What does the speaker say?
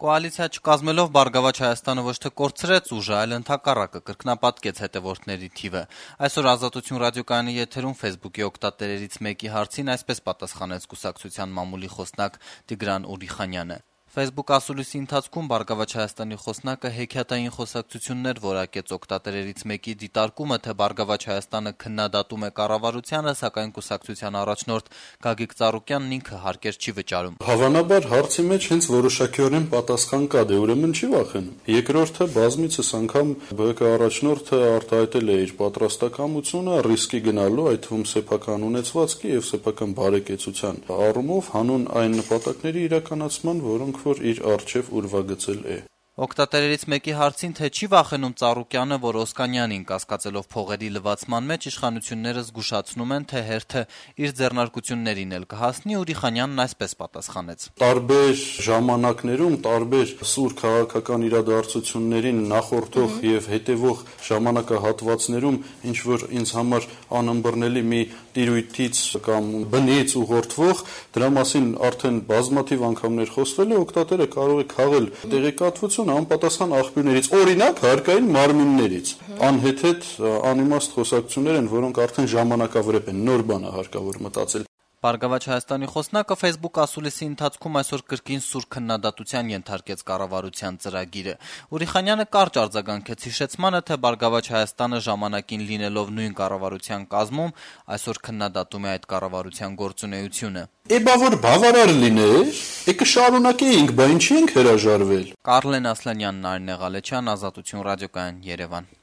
Կոալիցիա չկազմելով «Բարգավաճ Հայաստանը» ոչ թե կորցրեց ուժը, այլ ընդհակառակը կրկնապատկեց հետևորդների թիվը։ Այսօր «Ազատություն» ռադիոկայանի եթերում Facebook-ի օգտատերերից մեկի հարցին այսպես պատասխանեց կուսակցության մամուլի խոսնակ Տիգրան Ուրիխանյանը։ Facebook ասուլիսի ընթացքում «Բարգավաճ Հայաստանի» խոսնակը հեքիաթային խոսակցություններ որակեց օգտատերերից մեկի դիտարկումը, թե «Բարգավաճ Հայաստանը» քննադատում է կառավարությանը, սակայն կուսակցության առաջնորդ Գագիկ Ծառուկյանն ինքը հարկեր չի վճարում։ Հավանաբար հարցի մեջ հենց որոշակիորեն պատասխան կա, ուրեմն չի վախենում։ Երկրորդը բազմիցս անգամ ԲՀԿ առաջնորդը արտահայտել է իր պատրաստակամությունը ռիսկի գնալու, այդ թվում սեփական ունեցվածքի եւ սեփական բարեկեցության առումով հանուն այն նպատակների իրականացման, որոնք որ իր առջև ուրվագծել է։ Օգտատերերից մեկի հարցին, թե չի վախենում Ծառուկյանը, որ Օսկանյանին կասկածելով փողերի լվացման մեջ իշխանությունները զգուշացնում են, թե հերթը իր ձեռնարկություններին էլ կհասնի, Ուրիխանյանն այսպես պատասխանեց. Տարբեր ժամանակներում, տարբեր սուր քաղաքական իրադարձություններին նախորդող եւ հետեւող ժամանակահատվածներում ինչ որ ինձ համար անըմբռնելի մի տիրույթից կամ բնից ուղղորդվող, դրա մասին արդեն բազմաթիվ անգամներ խոսվել է, օգտատերը կարող է քաղել տեղեկատվություն անպատասխան աղբյուրներից, օրինակ հարկային մարմիններից, անհեթեթ անիմաստ խոսակցություններ են, որոնք արդեն ժամանակավրեպ են, նոր բան է հարկավոր մտածել։ «Բարգավաճ Հայաստանի» խոսնակը Facebook ասուլիսի ընթացքում այսօր կրկին սուր քննադատության ենթարկեց կառավարության ծրագիրը։ Ուրիխանյանը կարճ արձագանքեց հիշեցմանը, թե «Բարգավաճ Հայաստանը» ժամանակին լինելով նույն կառավարության կազմում, այսօր քննադատում է այդ կառավարության գործունեությունը։ Բա որ բավարար լիներ, կշարունակեինք, բա ինչի ենք հրաժարվել։ Կարլեն Ասլանյանն, Արինե Ղալեչյան, Ազատություն ռադիոկայան, Երևան։